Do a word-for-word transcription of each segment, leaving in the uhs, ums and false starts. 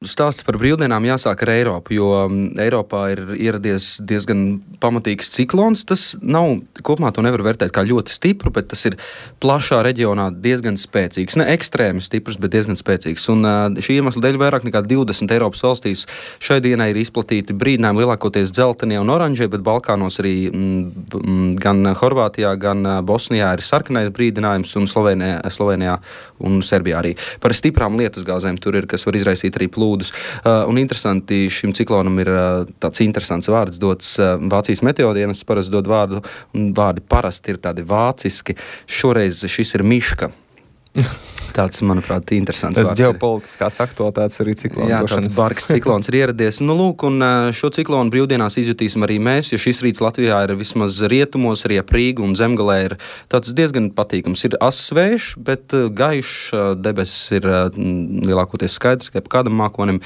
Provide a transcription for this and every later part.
Stāsts par brīvdienām jāsāk ar Eiropu, jo Eiropā ir ieradies diezgan pamatīgs ciklons. Tas nav, kopumā to nevar vērtēt kā ļoti stipru, bet tas ir plašā reģionā diezgan spēcīgs. Ne ekstrēmi stiprs, bet diezgan spēcīgs. Un šī iemesla dēļ vairāk nekā divdesmit Eiropas valstīs šai dienai ir izplatīti brīdinājumi lielākoties dzeltenie un oranžie, bet Balkānos arī m, gan Horvātijā, gan Bosnijā ir sarkanais brīdinājums un Slovenijā, Slovenijā un Serbijā arī. Par stiprām lietusgāzēm tur ir, kas var izraisīt arī plūdu. Uh, un interesanti, šim ciklonam ir uh, tāds interesants vārds dots uh, Vācijas meteodienas, parasti dod vārdu, un vārdi parasti ir tādi vāciski. Šoreiz šis ir miška. Tāds, manuprāt, interesants tas vārds. Tas ģeopolitiskās aktualitātes arī ciklonu. Jā, tāds bargs ciklons ir ieradies. Nu, lūk, un šo ciklonu brīvdienās izjutīsim arī mēs, jo šis rīts Latvijā ir vismaz rietumos, arī ap Rīgu un Zemgalē ir tāds diezgan patīkams. Ir ass vējš, bet gaišs, debesis ir lielākoties skaidrs, kā kādam mākonim.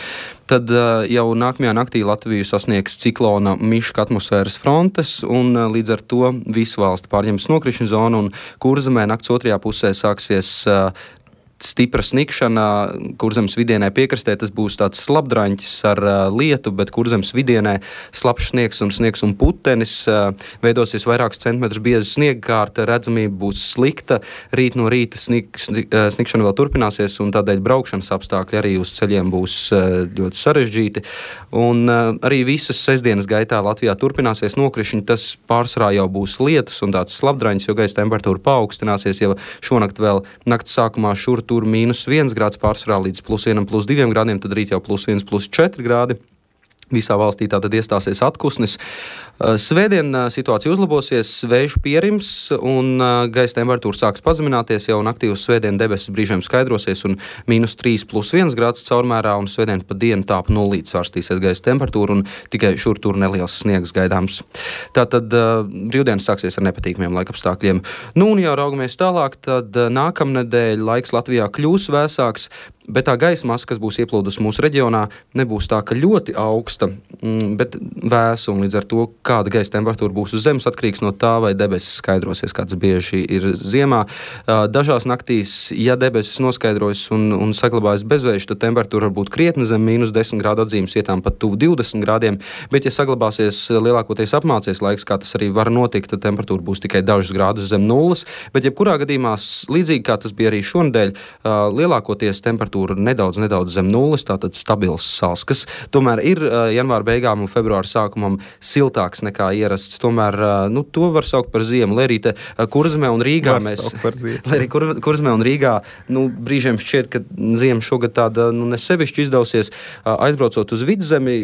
Tad jau nākamajā naktī Latviju sasniegs ciklona miška atmosfēras frontes, un līdz ar to visu valsti pārņems nokrišņu zonu, un Kurzemē nakts otrajā pusē sāksies stipra snikšana. Kurzemes vidienē piekrastē tas būs tāds slapdraņķis ar uh, lietu, bet Kurzemes vidienē slapjš sniegs un sniegs un putenis. Uh, veidosies vairākus centimetrus bieza sniegkārta, redzamība būs slikta. Rīt no rīta snik, snik, uh, snikšana vēl turpināsies, un tādēļ braukšanas apstākļi arī uz ceļiem būs uh, ļoti sarežģīti. Un uh, arī visas sestdienas gaitā Latvijā turpināsies nokrišņi. Tas pārsvarā jau būs lietus un tāds slapdraņķis, jo gaisa temperatūra paaugstināsies. Jau šonakt vēl nakts sākumā šur tur mīnus viens grāds pārsvarā līdz plus vienam, plus diviem grādiem, tad rīt jau plus viens, plus četri grādi. Visā valstī tātad iestāsies atkusnis. Svētdien situācija uzlabosies, vējš pierims un gaisa temperatūra sāks pazemināties. Jau naktī uz svētdienu debesis brīžiem skaidrosies un mīnus trīs, plus viens grāds caurmērā, un svētdien pa dienu tāp nulīti svārstīsies gaisa temperatūra un tikai šur tur neliels sniegs gaidāms. Tātad brīvdienas sāksies ar nepatīkamiem laikapstākļiem. Nu un jau raugamies tālāk, tad nākamnedēļ laiks Latvijā kļūs vēsāks, bet tā gaisa masa, kas būs ieplūdusi mūsu reģionā, nebūs tā, ka ļoti augsta, bet vēsa, un līdz ar to, kāda gaisa temperatūra būs uz zemes, atkarīgs no tā, vai debesis skaidrosies, kāds bieži ir ziemā. Dažās naktīs, ja debesis noskaidrojas un, un saglabājas bezvējš, tad temperatūra var būt krietni zem mīnus desmit grādu atzīmes vietām pat tuvu divdesmit grādiem, bet ja saglabāsies lielākoties apmācies laiks, kā tas arī var notikt, tad temperatūra būs tikai dažus grādus zem nulles, bet jebkurā gadījumā, līdzīgi kā tas bija arī šonedēļ, lielākoties temperatūra nedaudz, nedaudz zem nulles, tātad stabils sals, kas tomēr ir uh, janvāra beigām un februāra sākumam siltāks nekā ierasts. Tomēr, uh, nu, to var saukt par ziemu. Lai arī te uh, Kurzemē un Rīgā mēs, lai arī Kur, Kurzemē un Rīgā, nu, brīžiem šķiet, ka ziema šogad tāda, nu, nesevišķi izdausies, uh, aizbraucot uz vidzemi,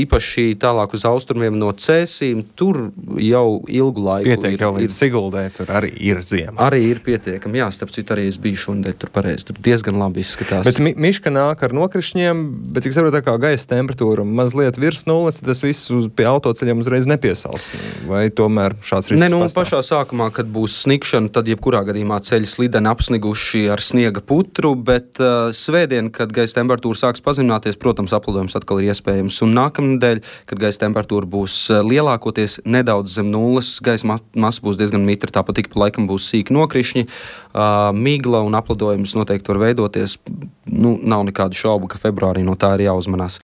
īpaši tālāk uz austrumiem no Cēsīm, tur jau ilgu laiku pietiek ir. Jau līdz Siguldē, tur arī ir ziema. Arī ir pietiekami, jā, starp citu arī es biju šonedēļ tur pareizi, tur diezgan labi izskatās. Bet mi miška nāk ar nokrišņiem, bet cik saprotu, kā gaisa temperatūra mazliet virs nulles, tad tas viss uz, pie autoceļiem uzreiz nepiesals. Vai tomēr šāds risks ne, nu, pastāv? Pašā sākumā, kad būs snikšana, tad jebkurā gadījumā ceļi slideni apsniguši ar sniega putru, bet uh, svētdien, kad gaisa temperatūra sāks pazemināties, protams, aplidojums atkal ir iespējams. Un nākamnedēļ, kad gaisa temperatūra būs uh, lielākoties nedaudz zem nulles, gaisa ma masa būs diezgan mitra, tāpat ik pa laikam būs sīki nokrišņi, uh, migla un aplidojums noteikti var veidoties. Nu, nav nekādu šaubu, ka februārī no tā ir jāuzmanās.